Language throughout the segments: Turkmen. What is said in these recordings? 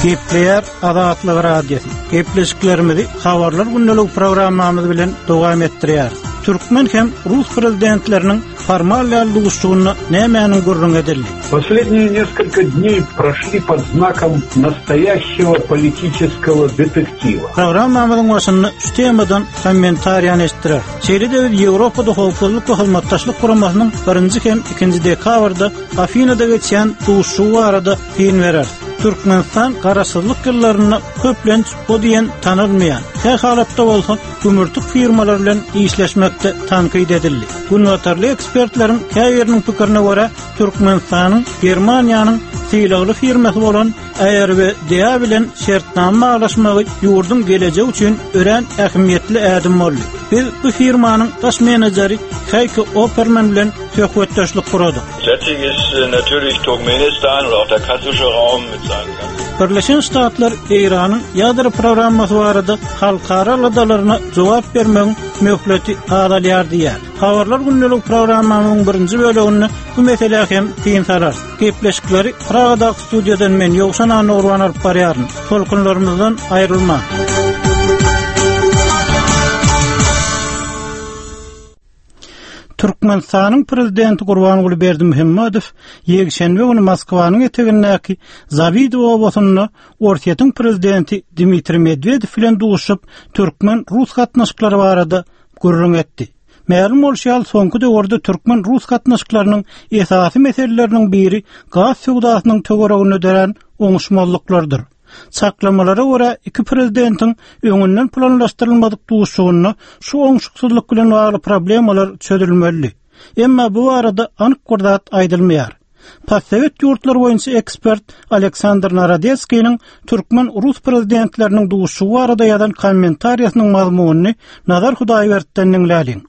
Gepleýär Azatlyk Radiosy. Gepleşiklerimizi Habarlar gündeligi programmamyz bilen dowam etdirýäris. Türkmen hem rus prezidentleriniň formal däl duşuşygynda nämäniň gürrüňi edildi? Последние несколько дней прошли под знаком настоящего политического детектива. Programmamyzyň başynda şu temadan kommentariýany eşitdireris. Şeýle-de biz Ýewropada Howpsuzlyk we Hyzmatdaşlyk Guramasynyň birinji hem ikinji dekabrda Afinada geçýän duşuşygy barada syn bereris. Türkmenistan garaşsyzlyk ýyllarynda köplenç o diýen tanalmaýan, kä halatda bolsa gümürtik firmalar bilen işleşmekde tankyt edildi. Günbatarly ekspertleriň käbiriniň pikirine görä, Türkmenistanyň Germaniýanyň sylagly firmasy bolan ARWDA bilen şertnama baglaşmagy ýurduň gelejegi üçin örän ähmiýetli ädim boldy. Biz bu firmanyň baş menejeri Heike Opperman bilen söhbetdeşlik guradyk. Setting ist natürlich Turkmenistan oder auch der kaspische Raum mit seinen ganzen. Birleşen Ştatlar Eýranyň ýadro programmasy barada halkara aladalaryna jogap bermegiň möhleti azalýar diýýär. Habarlar gündelik programmamyzyň birinji böleginde bu meselä hem syn salarys. Gepleşikleri Pragadaky studiýadan men Ýowşan Annagurban alyp barýaryn. Tolkunlarymyzdan aýrylmaň. Türkmenistanyň Prezidenti Gurbanguly Berdimuhamedow ýekşenbe güni Moskwanyň etegindäki Zawidow obasynda Orsýetiň Prezidenti Dmitriý Medwedew bilen duşuşyp, türkmen-rus gatnaşyklary barada gürrüň etdi. Mälim bolşy ýaly, soňky döwürde türkmen-rus gatnaşyklarynyň esasy meseleleriniň biri gaz söwdasynyň töwereginde dörän oňuşmazlyklardyr. Çaklamalara görä, iki prezidentiň öňünden planlaşdyrylmadyk duşuşygynda şu oňşuksyzlyk bilen bagly problemalar çözülmelidi. Emma bu barada anyk bir zat aýdylmaýar. Postsowet ýurtlary boýunça ekspert Aleksandr Narodetskiniň türkmen-rus prezidentleriniň duşuşygy barada ýazan kommentariýasynyň mazmunyny Nazar Hudaýberdiden diňläliň.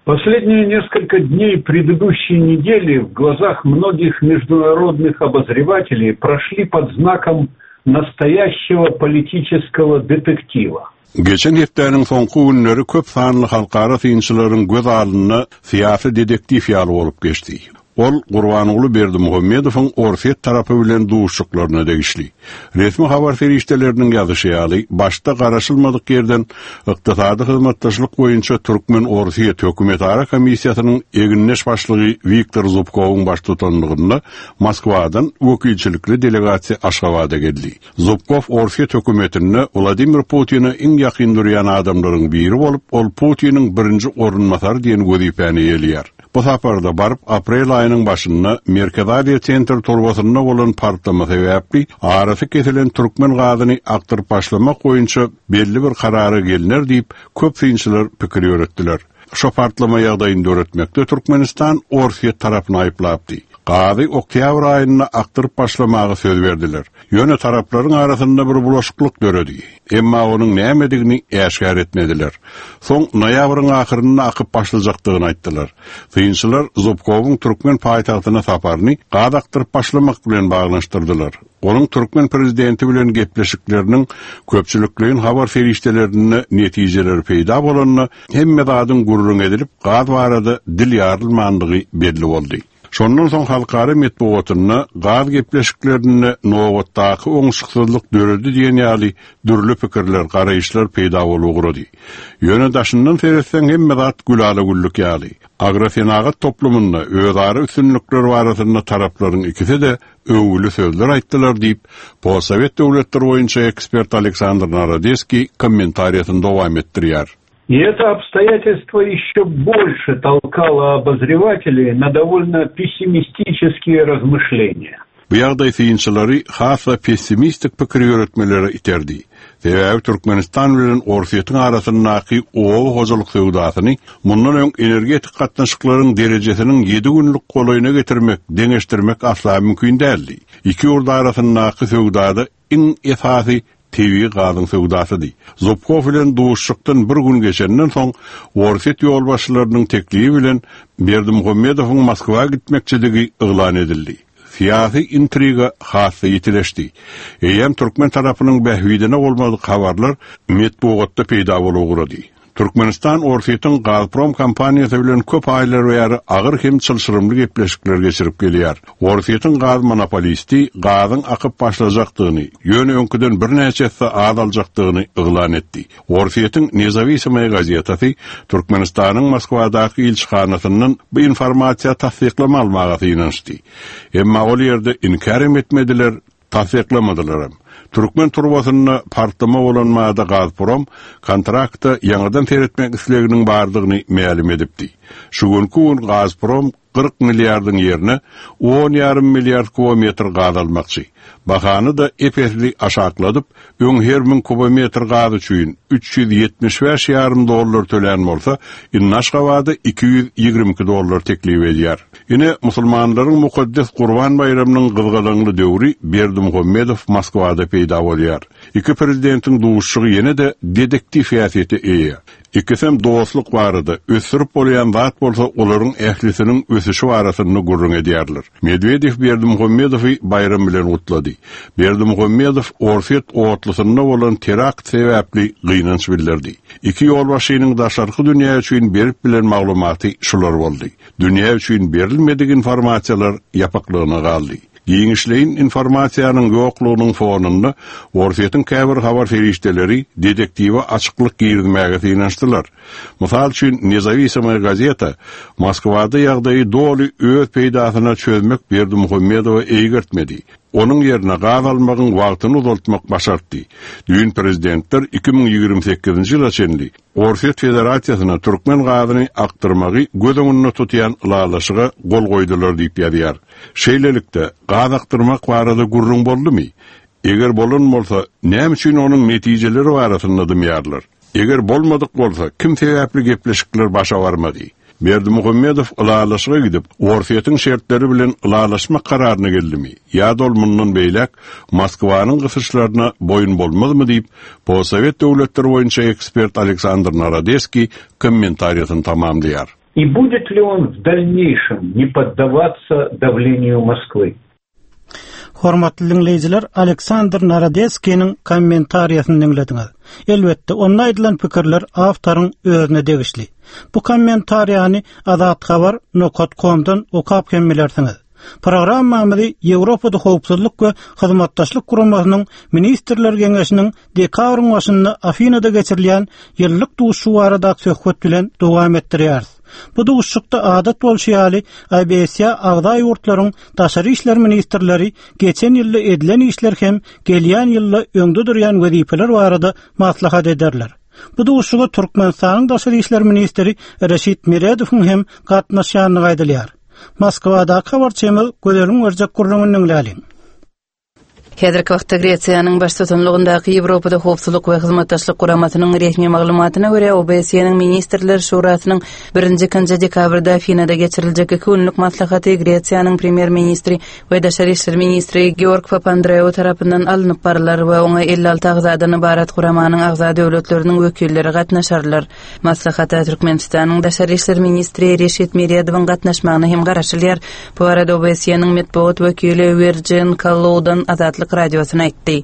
Последние несколько дней предыдущей недели в глазах многих международных обозревателей прошли под знаком настоящего политического детектива. Geçen hepdäniň soňky günleri köp sanly halkara synçylaryň göz alnynda syýasy dedektiw ýaly bolup geçdi. Ol Gurbanguly Berdimuhamedowyň Orsýet tarapy bilen duşuşyklaryna degişli. Resmi habar serişdeleriniň ýazyşy ýaly, başda garaşylmadyk ýerden Ykdysady hyzmatdaşlyk boýunça türkmen-orsýet hökümetara komissiýasynyň egindeş başlygy Wiktor Zubkowyň baştutanlygynda Moskwadan wekilçilikli delegasiýa Aşgabada geldi. Zubkow Orsýet hökümetinde Wladimir Putine iň ýakyn durýan adamlaryň biri bolup, ol Putiniň birinji orunbasary diýen wezipäni eýeleýär. Bu saparda baryp, aprel aýynyň başynda Merkezi Aziýa Sentr turbasynda bolan partlama sebäpli arasy kesilen türkmen gazyny akdyryp başlamak boýunça belli bir karara gelner diýip, köp synçylar pikir ýöretdiler. Şo partlama ýagdaýyny döretmekde Türkmenistan Orsýet tarapyny aýyplapdy. Gazy oktýabr aýynda akdyryp başlamaga söz berdiler. Ýöne taraplaryň arasynda bir bulaşyklyk döredi. Emma onuň nämedigini äşgär etmediler. Soň noýabryň ahyrynda akyp başlajakdygyny aýtdylar. Synçylar Zubkowyň türkmen paýtagtyna saparyny gaz akdyryp başlamak bilen baglanyşdyrdylar. Onuň türkmen prezidenti bilen gepleşikleriniň köpçülikleýin habar serişdelerinde netijeleri peýda bolanda, hemme zadyň gürrüň edilip, gaz barada dil ýarylmandygy belli boldy. Şondan soň halkara metbugatynda gaz gepleşiklerinde nobatdaky oňşuksyzlyk döredi diýen ýaly dürli pikirler, garaýyşlar peýda bolup ugrady. Ýöne daşyndan seretseň hemme zat gülala-güllük ýaly. Agrosenagat toplumynda özara üstünlikler barasynda taraplaryň ikisi-de öwgüli sözler aýtdylar diýip, postsowet döwletleri boýunça ekspert Aleksandr Narodeskiý kommentariýasyny dowam etdirýär. И это обстоятельство еще больше толкало обозревателей на довольно пессимистические размышления. Bu ýagdaý synçylary has-da pessimistik pikir ýöretmelere iterdi. Sebäbi Türkmenistan bilen Orsýetiň arasyndaky oba hojalyk söwdasyny mundan öň energetik gatnaşyklaryň derejesiniň ýedi günlük golaýyna getirmek, deňeşdirmek asla mümkin däldi. Iki ýurt arasyndaky söwdada iň esasy tebigy gazyň söwdasydy. Zubkow bilen duşuşykdan bir gün geçenden soň, Orsýet ýolbaşçylarynyň teklibi bilen Berdimuhamedowyň Moskwa gitmekçidigi yglan edildi. Syýasy intriga has-da ýitileşdi. Eýýäm türkmen tarapynyň bähbidine bolmadyk habarlar metbugatda peýda bolup ugrady. Türkmenistan Orsýetiň Gazprom kompaniýasy bilen köp aýlar bäri agyr hem çylşyrymly gepleşikler geçirip gelýär. Orsýetiň gaz monopolisti gazyň akyp başlajakdygyny, ýöne öňküden birnäçe esse az aljakdygyny yglan etdi. Orsýetiň Nezawisimoýa gazetasy Türkmenistanyň Moskwadaky ilçihanasyndan bu informasiýa tassyklama almaga synanyşdy. Emma ol ýerde inkär hem etmediler, Tassyklamadylaram. Türkmen turbasynda partlama bolan bada Gazprom kontrakta ýaňadan seretmek isleginiň bardygyny mälim edipdi. Şu günki gün Gazprom 40 milliardyň ýerine on ýarym milliard kubometr gaz almakçy. Bahany-da ep-esli aşakladyp, öň her müň kubometr gaz üçin 375 ýarym dollar tölän bolsa, indi Aşgabada 222 dollar teklip edýär. Ine, musulmanlaryň mukaddes Gurban baýramynyň gyzgalaňly döwri Berdimuhamedow Moskwada peýda bolýar. Iki prezidentiň duşuşygy ýene-de dedektiw häsiýete eýe. Ikisem dostluk barada, ösdürip bolýan zat bolsa olaryň ählisiniň ösüşi barasynda gürrüň edýärler. Medwedew Berdimuhamedowy baýram bilen gutlady. Berdimuhamedow Orsýet otlusynda bolan terakt sebäpli gynanç bildirdi. Iki ýolbaşçynyň daşarky dünýä üçin berip bilen maglumaty şular boldy. Dünýä üçin berilmedik informasiýalar ýapyklygyna galdy. Giňişleýin informasiýanyň ýoklugynyň fonunda Orsýetiň käbir habar serişdeleri dedektiwe açyklyk girizmäge synanyşdylar. Mysal üçin, Nezawisimoýa gazeta Moskwada ýagdaýy doly öz peýdasyna çözmek Berdimuhamedowa eýgertmedi. Onuň ýerine gaz almagyň wagtyny uzaltmak başartdy. Düýn prezidentler 2028-nji ýyla çenli Orsýet Federasiýasyna türkmen gazyny akdyrmagy göz öňünde tutýan ylalaşyga gol goýdular diýip ýazýar. Şeýlelikde, gaz akdyrmak barada gürrüň boldumy? Eger bolan bolsa, näme üçin onuň netijeleri barasynda dymýarlar? Eger bolmadyk bolsa, kim sebäpli gepleşikler başa barmady? Berdimuhamedow ylalaşyga gidip, Orsýetiň şertleri bilen ylalaşmak kararyna geldimi ýa-da ol mundan beýläk Moskwanyň gysyşlaryna boýun bolmazmy diýip, postsowet döwletleri boýunça ekspert Aleksandr Narodeskiý kommentariýasyny tamamlaýar. И будет ли он в дальнейшем не поддаваться давлению Москвы? Hormatly diňleýjiler, Aleksandr Narodeskiniň kommentariýasyny diňlediňiz. Elbetde, onda aýdylan pikirler awtoryň özüne degişli. Bu kommentariýany azathabar nokat komdan okap hem bilersiňiz. Programmamyzy Ýewropada Howpsuzlyk we Hyzmatdaşlyk Guramasynyň Ministrler Geňeşiniň dekabryň başynda Afinada geçirilýän ýyllyk duşuşygy baradaky söhbet bilen dowam etdirýäris. Bu duşuşykda adat bolşy ýaly, OBSE agza ýurtlaryň daşary işler ministrleri geçen ýylda edilen işler hem gelýän ýylda öňde durýan wezipeler barada maslahat ederler. Bu duşuşyga Türkmenistanyň daşary işler ministri Reşit Meredowyň hem gatnaşýandygy aýdylýar. Moskwadaky habarçymyz Gözeliň berjek gürrüňini diňläliň. Häzirki wagtda Gresiýanyň baştutanlygyndaky Ýewropada Howpsuzlyk we Hyzmatdaşlyk Guramasynyň resmi maglumatyna görä, OBSE-niň Ministrler Şurasynyň birinji-ikinji dekabrda Afinada geçiriljek iki günlük maslahaty Gresiýanyň Premýer-ministri we daşary işler ministri Georg Papandreou tarapyndan alnyp barylar we oňa 56 agzadan ybarat guramanyň agza döwletleriniň wekilleri gatnaşarlar. Maslahata Türkmenistanyň daşary işler ministri Reşit Meredowyň gatnaşmagyna hem garaşylýar. Bu barada OBSE-niň metbugat wekili Wirjin Kalloudan Azatlyk Radiosyna aýtdy.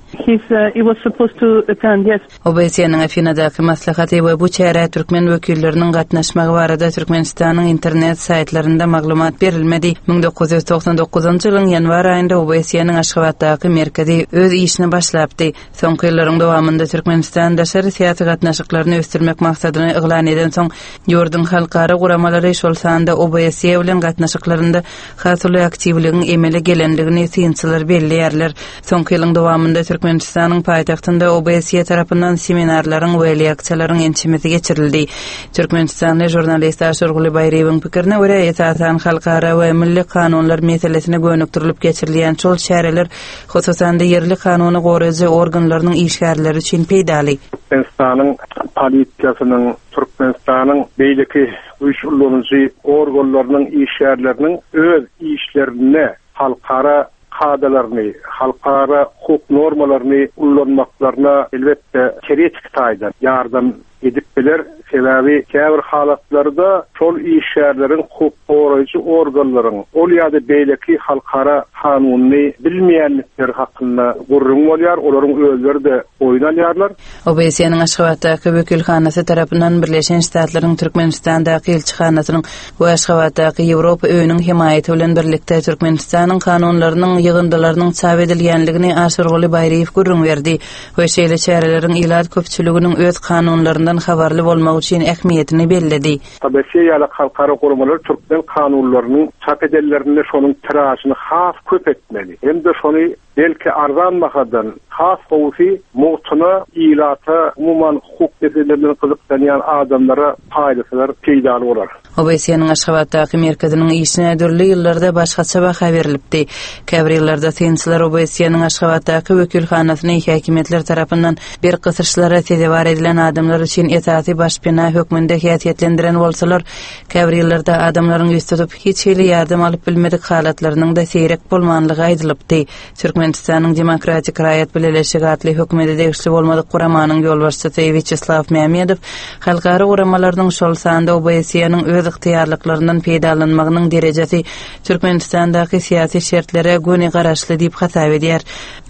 OBSE-niň Afinadaky maslahaty we bu çärä türkmen wekilleriniň gatnaşmagy barada Türkmenistanyň internet saýtlarynda maglumat berilmedi. 1999-njy ýylyň ýanwar aýynda OBSE-niň Aşgabatdaky merkezi öz işine başlapdy. Soňky ýyllaryň dowamynda Türkmenistan daşary syýasy gatnaşyklaryny ösdürmek maksadyny yglan edensoň, ýurduň halkara guramalary, şol sanda OBSE bilen gatnaşyklarynda has uly aktiwligiň emele gelendigini synçylar belleýärler. Soňky ýylyň dowamynda Türkmenistanyň paýtagtynda OBSE tarapyndan seminarlaryň we leksiýalaryň ençemesi geçirildi. Türkmenistanly žurnalist Aşyrguly Baýryýewiň pikirine görä, esasan halkara we milli kanunlar meselesine gönükdirilip geçirilýän şol çäreler hususan-da ýerli kanuny goraýjy organlarynyň işgärleri üçin peýdaly. Türkmenistanyň polisiýasynyň, Türkmenistanyň beýleki güýç ulanyjy organlarynyň işgärleriniň öz işlerinde halkara kadalaryny, halkara hukuk normalaryny ullanmaklaryna, elbetde, teoretiki taýdan ýardam edip biler. Sebäbi käbir halatlarda şol işgärleriň hukuk goraýjy organlaryň ol ýa-da beýleki halkara kanunyny bilmeýändikleri hakynda gürrüň bolýar, olaryň özleri-de boýun alýarlar. OBSE-niň Aşgabatdaky wekilhanasy tarapyndan Birleşen Ştatlaryň Türkmenistandaky ilçihanasynyň we Aşgabatdaky Ýewropa öýüniň hemaýaty bilen birlikde Türkmenistanyň kanunlarynyň ýygyndylarynyň çap edilýänligini Aşyrguly Baýryýew gürrüň berdi we şeýle çäreleriň ilat köpçüliginiň öz kanunlaryndan habarly bolmagy üçin ähmiýetini belledi. OBSE ýaly halkara guramalar türkmen kanunlarynyň çap edenlerinde şonuň tiražyny has köp etmeli hem-de şony Belki arzan bahadan, has gowusy mugtuna ilata, umuman hukuk meseleleri bilen gyzyklanýan adamlara paýlasalar peýdaly bolar. OBSE-niň Aşgabatdaky merkeziniň işine dürli ýyllarda başgaça baha berlipdi. Käbir ýyllarda synçylar OBSE-niň Aşgabatdaky wekilhanasyny häkimiýetler tarapyndan berk gysyşlara sezewar edilen adamlar üçin esasy başpena hökmünde häsiýetlendiren bolsalar, Käbir ýyllarda adamlaryň ýüz tutup, hiç hili ýardam alyp bilmedik halatlarynyň-da seýrek bolmanlygy aýdylypdy. Türkmenistanyň Demokratik raýat bileleşigi atly hökümete degişli bolmadyk guramanyň ýolbaşçysy Wýaçeslaw Mämmedow halkara guramalarynyň, şol sanda OBSE-niň öz ygtyýarlyklaryndan peýdalanmagynyň derejesi Türkmenistandaky syýasy şertlere göni garaşly diýip hasap edýär.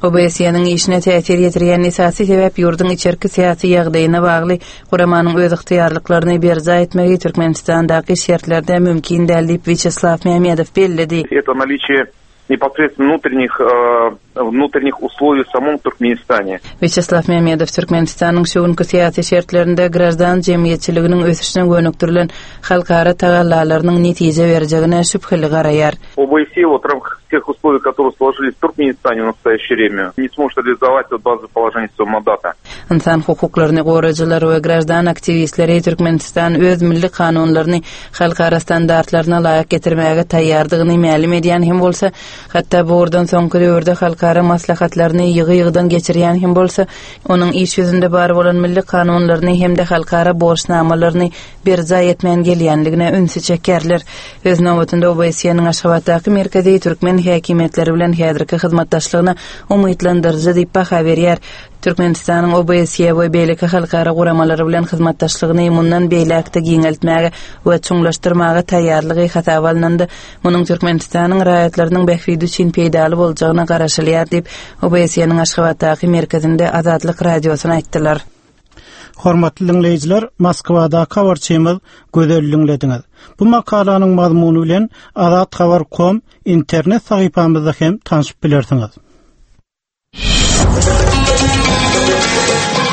OBSE-niň işine täsir ýetirýän esasy sebäp ýurduň içerki syýasy ýagdaýyna bagly Guramanyň öz ygtyýarlyklaryny berjaý etmegi Türkmenistandaky şertlerde mümkin däl diýip, Wýaçeslaw Mämmedow belledi. Это наличие непосредственно внутренних внутренних условий в самом Туркменистане. Wýaçeslaw Mämmedow Türkmenistanyň şu günki syýasy şertlerinde graždan jemgyýetçiliginiň ösüşine gönükdirilen halkara tagallalarynyň netije berjegine şübheli garaýar. OBSE вот в рамках тех условий, которые сложились в Туркменистане в настоящее время, не сможет реализовать вот базовое положение своего мандата. Ynsan hukuklaryny goraýjylar we graždan aktiwistleri Türkmenistan öz milli kanunlaryny halkara standartlaryna laýyk getirmäge taýýardygyny mälim edýän hem bolsa, hatda bu ugurdan soňky döwürde halkara maslahatlaryny ýygy-ýygydan geçirýän hem bolsa, onuň iş ýüzünde bar bolan milli kanunlaryny hem-de halkara borçnamalaryny berjaý etmän gelýänligine ünsi çekýärler. Öz nobatynda OBSE-niň Aşgabatdaky merkezi türkmen häkimiýetleri bilen häzirki hyzmatdaşlygyna umytlandyryjy diýip baha berýär. Türkmenistanyň OBSE we beýleki halkara guramalary bilen hyzmatdaşlygyny mundan beýläk-de giňeltmäge we çuňlaşdyrmaga taýýarlygy hasaba alnanda, munuň Türkmenistanyň raýatlarynyň bähbidi üçin peýdaly boljagyna garaşylýar diýip, OBSE-niň Aşgabatdaky merkezinde Azatlyk Radiosyna aýtdylar. Hormatly diňleýjiler, Moskwadaky habarçymyz Gözel diňlediňiz. Bu makalanyň mazmuny bilen Azathabar kom internet sahypamyzda hem tanşyp bilersiňiz.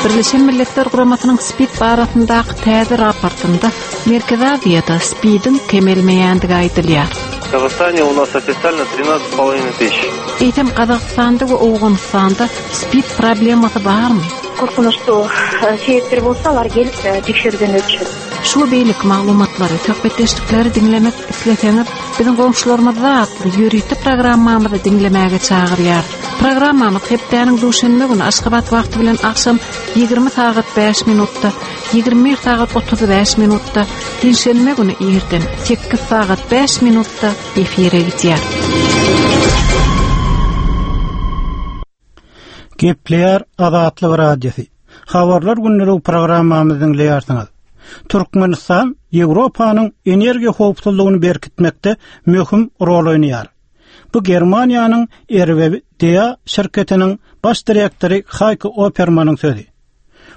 Birleşen Milletler Guramasynyň SPID barasyndaky täze raportynda Merkezi Aziýada SPID-iň kemelmeýändigi aýdylýar. В Казахстане у нас официально 13,5 тысяч. Eýsem Gazagystanda we Owganystanda SPID problemasy barmy? Korkunçly sebäpler bolsa alar gelip tekşerüwden ötüşet. Şu we beýleki maglumatlary, söhbetdeşlikleri diňlemek isleseňiz, biziň goňşularymyzda atly ýörite programmamyzy diňlemäge çagyrýarys. Programmamyz hepdäniň duşenbe güni Aşgabat wagty bilen agşam 20 sagat 5 minutda, 21 sagat 35 minutda, penşenbe güni irden 8 sagat 5 minutda efire gidýär. Gepleýär Azatlyk Radiosy. Habarlar gündelik programmamyzy diňleýärsiňiz. Türkmenistan Ýewropanyň energiýa howpsuzlygyny berkitmekde möhüm rol oýnaýar. Bu Germaniýanyň RWDA şirketiniň baş direktory Haýko Opermanyň sözi.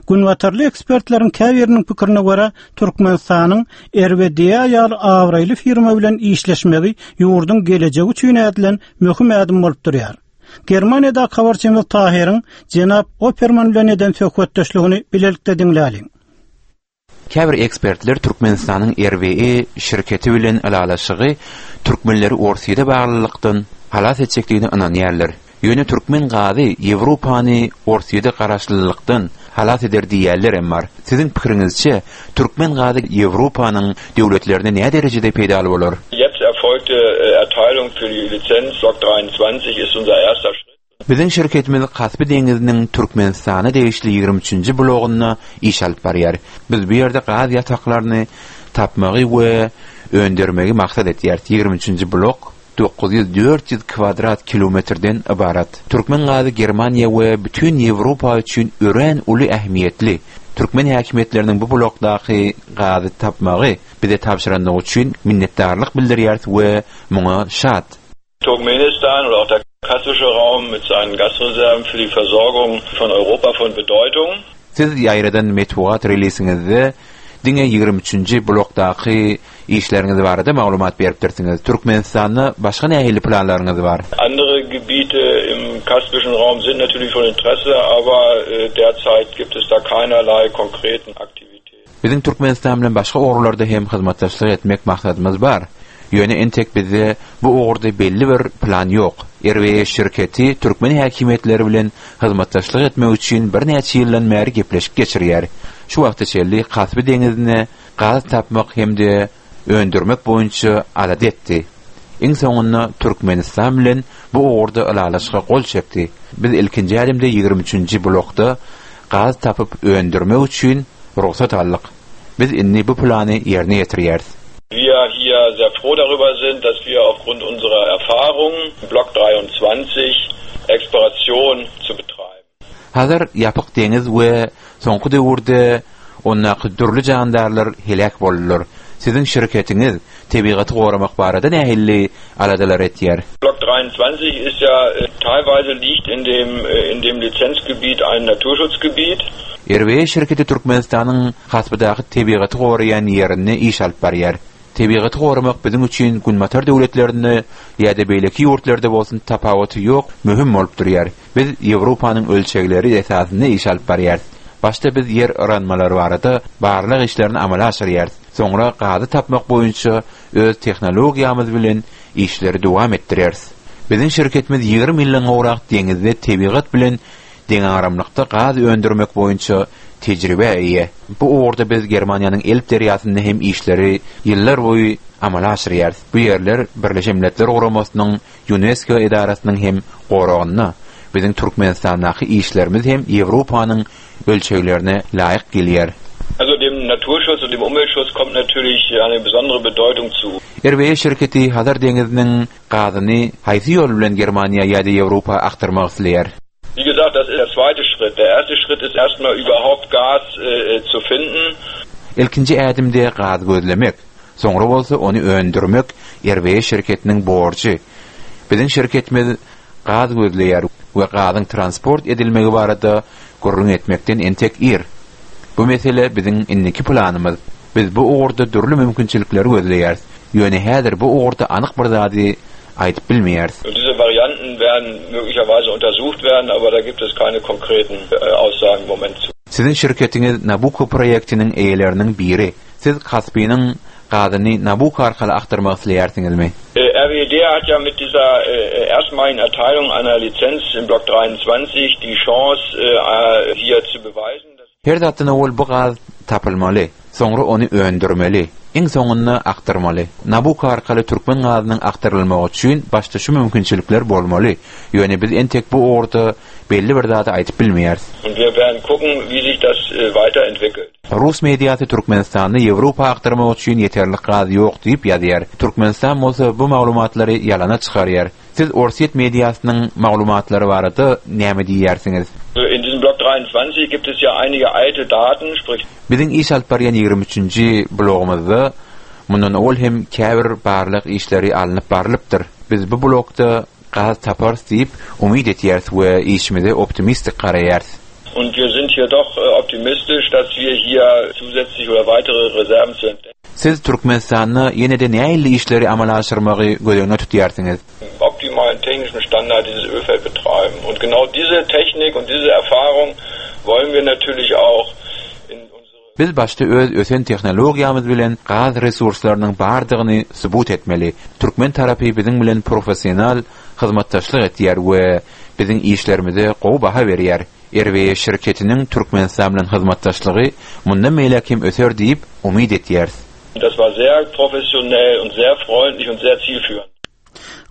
Günbatarly ekspertleriň käbiriniň pikirine görä, Türkmenistanyň RWDA ýaly abraýly firma bilen işleşmegi ýurduň gelejegi üçin ädilen möhüm ädim bolup durýar. Germaniýadaky habarçymyz Tahyryň jenap Operman bilen eden söhbetdeşligini bilelikde diňläliň. Käbir ekspertler Türkmenistanyň RWE şirketi bilen ylalaşygy türkmenleri Orsýete baglylykdan halas etjekdigine ynanýarlar. Ýöne türkmen gazy Ýewropany Orsýete garaşlylykdan halas eder diýýänlerem bar. Siziň pikiriňizçe, türkmen gazy Ýewropanyň döwletlerine näderejede peýdaly bolar? Jetzt erfolgte Erteilung für die Lizenz Block 23 ist unser erster Schritt. Biziň şirketimiz Kaspi deňiziniň Türkmenistana degişli ýigrimi üçünji blogunda iş alyp barýar. Biz bu ýerde gaz ýataklaryny tapmagy we öndermegi maksat etýäris. Ýigrimi üçünji blok 900 400 kwadrat kilometrden ybarat. Türkmen gazy Germaniýa we bütin Ýewropa üçin örän uly ähmiýetli. Türkmen häkimiýetleriniň bu blokdaky gazy tapmagy bize tabşyrandygy üçin minnetdarlyk bildirýäris we muňa şat. Turkmenistan oder auch der Kaspische Raum mit seinen Gasreserven für die Versorgung von Europa von Bedeutung. Siz ýaýradan metbugat relisiňizde diňe 23-nji blokdaky işleriňiz barada maglumat beripdirsiňiz. Türkmenistanda başga nähili planlaryňyz bar? Andere Gebiete im Kaspischen Raum sind natürlich von Interesse, aber derzeit gibt es da keinerlei konkreten Aktivitäten. Biziň Türkmenistan bilen başga ugurlarda hem hyzmatdaşlyk etmek maksadymyz bar. Ýöne entek bizde bu ugurda belli bir plan ýok. RWE şirketi türkmen häkimiýetleri bilen hyzmatdaşlyk etmek üçin birnäçe ýyldan bäri gepleşik geçirýär. Şu wagta çenli Kaspi deňizinde gaz tapmak hem-de öndürmek boýunça alada etdi. Iň soňunda Türkmenistan bilen bu ugurda ylalaşyga gol çekdi. Biz ilkinji ädimde 23-nji blokda gaz tapyp öndürmek üçin rugsat aldyk. Biz indi bu plany ýerine ýetirýäris. Wir hier sehr froh darüber sind, dass wir aufgrund unserer Erfahrung Block 23 Exploration zu betreiben. Hazar ýapyk deňiz we soňky döwürde ondaky dürli jandarlar heläk boldular. Siziň şirketiňiz tebigaty goramak barada nähili aladalar etýär? Block 23 ist ja teilweise liegt in dem in dem Lizenzgebiet ein Naturschutzgebiet. RWE şirketi Türkmenistanyň Hasbydaky tebigaty goraýan ýerinde iş alyp barýar. Tebigaty goramak biziň üçin Günbatar döwletlerinde ýa-da beýleki ýurtlarda bolsun tapawuty ýok, möhüm bolup durýar. Biz Ýewropanyň ölçegleri esasynda iş alyp barýarys. Başda biz ýer yranmalary barada barlag işlerini amala aşyrýarys. Soňra gazy tapmak boýunça öz tehnologiýamyz bilen işleri dowam etdireris. Biziň şirketimiz 20 ýyldan gowrak deňizde tebigat bilen deňagramlykda gaz öndürmek boýunça tejribä eýe. Bu ugurda biz Germaniýanyň Elb derýasynda hem işleri ýyllar boýy amala aşyrýarys. Bu ýerler Birleşen Milletler Guramasynyň Ýunesko edarasynyň hem goragynda. Biziň Türkmenistandaky işlerimiz hem Ýewropanyň ölçeglerine laýyk gelýär. Also dem Naturschutz und dem Umweltschutz kommt natürlich eine besondere Bedeutung zu. RWE şirketi Hazar deňiziniň gazyny haýsy ýol bilen Germaniýa ýa-da Ýewropa akdyrmak isleýär? Wie gesagt, das ist der zweite Schritt. Der erste Schritt ist erstmal überhaupt Gas zu finden. Ilkinji ädimde gaz gözlemek, soňra bolsa ony öndürmek RWE şirketiniň borjy. Biziň şirketimiz gaz gözleýär we gazyň transport edilmegi barada gürrüň etmekden entek ir. Bu mesele biziň indiki planymyz. Biz bu ugurda dürli mümkinçilikleri gözleýäris. Ýöne häzir bu ugurda anyk bir zady aýdyp bilmeýäris. Und diese Varianten werden möglicherweise untersucht werden, aber da gibt es keine konkreten Aussagen im Moment zu. Siziň şirketiňiz Nabucco proýektiniň eýeleriniň biri. Siz Kaspiniň gazyny Nabucco arkaly akdyrmak isleýärsiňizmi? RWD hat ja mit dieser erstmaligen Erteilung einer Lizenz im Block 23 die Chance hier zu beweisen, dass. Her zatdan owal bu gaz tapylmaly, soňra ony öndürmeli, iň soňunda akdyrmaly. Nabucco arkaly türkmen gazynyň akdyrylmagy üçin başda şu mümkinçilikler bolmaly. Ýöne biz entek bu ugurda belli bir zady aýdyp bilmeýäris. Und wir werden gucken, wie sich das weiterentwickelt. Rus mediasy Türkmenistanda Ýewropa akdyrmak üçin ýeterlik gaz ýok diýip ýazýar. Türkmenistan bolsa bu maglumatlary ýalana çykarýar. Siz Orsýet mediasynyň maglumatlary barada näme diýýärsiňiz? In diesem Block 23 gibt es ja einige alte Daten, sprich. Biziň iş alyp barýan 23-nji blogumyzda mundan owal hem käbir barlag işleri alnyp barlypdyr. Biz bu blokda gaz taparys diýip umyt etýäris we işimize optimistik garaýarys. Und wir sind hier doch optimistisch, dass wir hier zusätzlich oder weitere Reserven zu entdecken. Siz Türkmenistanda ýene-de nähili işleri amala aşyrmagy göz öňünde tutýarsyňyz? Optimalen technischen Standard dieses Ölfeld betreiben. Und genau diese Technik und diese Erfahrung wollen wir natürlich auch in unsere. Biz başda öz ösen tehnologiýamyz bilen gaz resurslarynyň bardygyny subut etmeli. Türkmen tarapy biziň bilen professional hyzmatdaşlyk etýär we biziň işlerimize gowy baha berýär. RWE şirketiniň Türkmenistan bilen hyzmatdaşlygy mundan beýläk hem öser diýip umyt etýäris. Das war sehr professionell und sehr freundlich und sehr zielführend.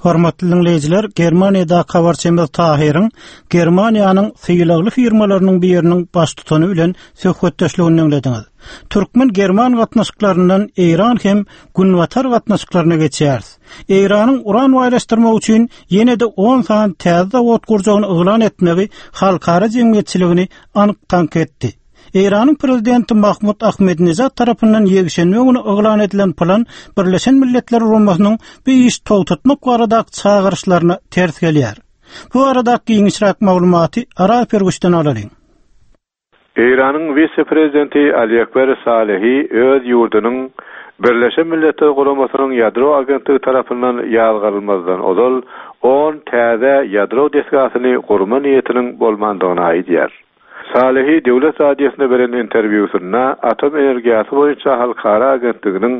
Hormatly diňleýjiler, Germaniýadaky habarçymyz Tahyryň Germaniýanyň sylagly firmalarynyň biriniň baştutany bilen söhbetdeşligini diňlediňiz. Türkmen-german gatnaşyklaryndan Eýran hem Günbatar gatnaşyklaryna geçýäris. Eýranyň uran baýlaşdyrmak üçin ýene-de on sany täze zawod gurjagyny yglan etmegi halkara jemgyýetçiligini aňk-taňk etdi. Eýranyň prezidenti Mahmud Ahmedinejad tarapyndan ýekşenbe güni yglan edilen plan Birleşen Milletler Guramasynyň bu işi togtatmak baradaky çagyryşlaryna ters gelýär. Bu baradaky giňişräk maglumaty Araz Perguçdan alalyň. Eýranyň wise-prezidenti Ali Ekber Salehi öz ýurdunyň Birleşen Milletler Guramasynyň Ýadro agentligi tarapyndan ýazgarylmazdan ozal on täze ýadro desgasyny gurma niýetiniň bolmandygyny aýdýar. Salehi döwlet radiosyna beren interwýusynda Atom energiýasy boýunça halkara agentliginiň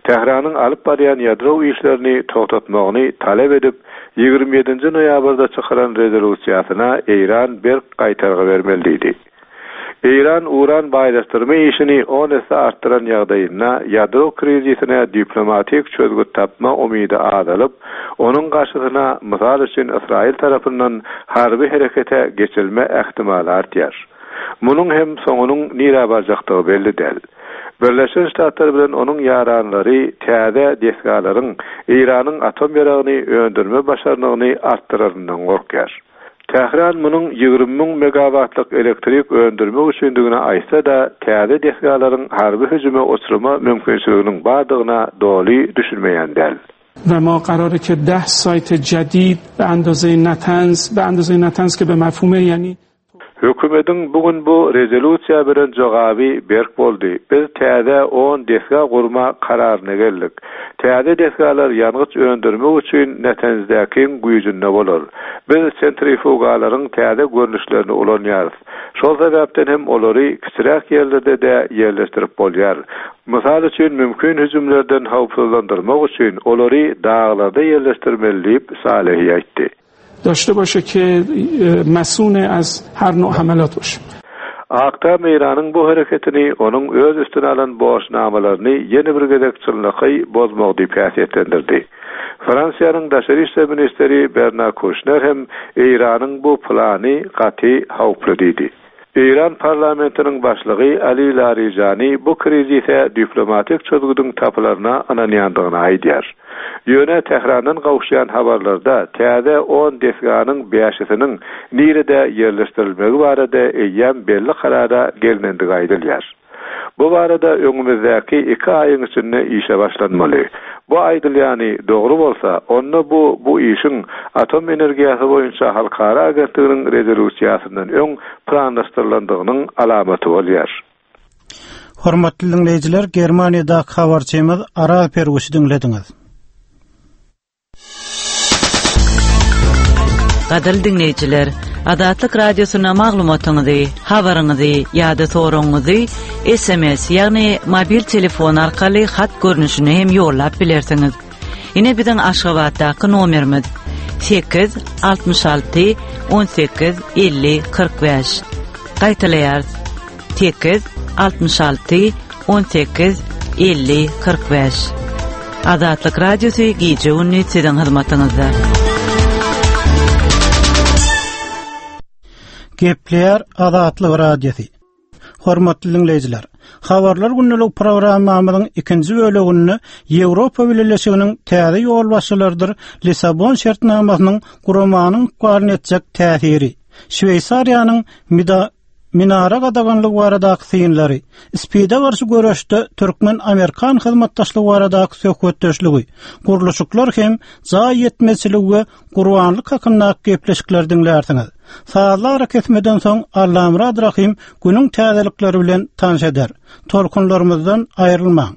Tähranyň alyp barýan ýadro işlerini togtatmagyny talap edip, 27-nji noýabrda çykaran rezolýusiýasyna Eýran berk gaýtargy bermeli diýdi. Eýran uran baýlaşdyrma işini on esse artdyran ýagdaýynda ýadro krizisine diplomatik çözgüt tapma umydy azalyp, onuň garşysyna, mysal üçin, Ysraýyl tarapyndan harby herekete geçilme ähtimaly artýar. Munuň hem soňunyň nirä barjakdygy belli däl. Birleşen Ştatlar bilen onuň ýaranlary täze desgalaryň Eýranyň atom ýaragyny öndürme başarnygyny artdyraryndan gorkýar. Tähran munuň 20 müň megawatlyk elektrik öndürmek üçindigini aýtsa-da, täze desgalaryň harby hüjüme uçrama mümkinçiliginiň bardygyna doly düşünmeýän däl. و ما قراره که ده سایت جدید به اندازه نتنز به اندازه نتنز که به مفهوم یعنی Hökümediň bu gün bu rezolýusiýa beren jogaby berk boldy. Biz täze on desga gurma kararyna geldik. Täze desgalar ýangyç öndürmek üçin Netenzdäkiň güýjünde bolar. Biz sentrifugalaryň täze görnüşlerini ulanýarys. Şol sebäpden hem olary kiçiräk ýerlerde-de ýerleşdirip bolýar. Mysal üçin, mümkin hüjümlerden howpsuzlandyrmak üçin olary daglarda ýerleşdirmeli diýip, Salehi aýtdy. Daşte başe ke masune az her now'a hamelat başe. Ak Tam Eýranyň bu hereketini onuň öz üstüne alan borçnamalaryny ýene bir gezek çynlakaý bozmagy diýip häsiýetlendirdi. Fransiýanyň daşary işler ministri Bernar Kuşner hem Eýranyň bu plany gaty howply diýdi. Eýran parlamentiniň başlygy Ali Larijani bu krizise diplomatik çözgüdiň tapylaryna ynanýandygyny aýdýar. Ýöne Tährandan gowuşýan habarlarda täze on desganyň bäşisiniň nirede ýerleşdirilmegi barada eýýäm belli karara gelnendigi aýdylýar. Bu barada öňümizdäki iki aýyň içinde işe başlanmaly. Bu aýdylýany dogry bolsa, onda bu bu işiň Atom energiýasy boýunça halkara agentliginiň rezolýusiýasyndan öň planlaşdyrylandygynyň alamaty bolýar. Hormatly diňleýjiler, Germaniýadaky habarçymyz Araz Perguşy diňlediňiz. Gadyrly diňleýjiler, Azatlyk Radiosyna maglumatyňyzy, habaryňyzy ýa-da soragyňyzy SMS, ýagny mobil telefon arkaly hat görnüşinde hem ýollap bilersiňiz. Ine biziň Aşgabatdaky nomerimiz 8 66 18 50 45. Gaýtalaýarys. 8 66 18 50 45. Azatlyk Radiosy gije-gündiz siziň hyzmatyňyzda. Gepleýär Azatlyk Radiosy. Hormatly diňleýjiler, Habarlar gündelik programmamyzyň ikinji böleginde Ýewropa Bileleşiginiň täze ýolbaşçylarydyr Lissabon şertnamasynyň guramanyň ykbalyna etjek täsiri, Şweýsariýanyň Minara gadaganlygy baradaky synlary, SPID-e garşy göreşde türkmen-amerikan hyzmatdaşlygy baradaky söhbetdeşligi, gurluşyklar hem jaý ýetmezçiligi we gurbanlyk hakyndaky gepleşikleri diňlärsiňiz. Sazly arakesmeden soň Allamyrat Rahym günüň täzelikleri bilen tanyş eder. Tolkunlarymyzdan aýrylmaň!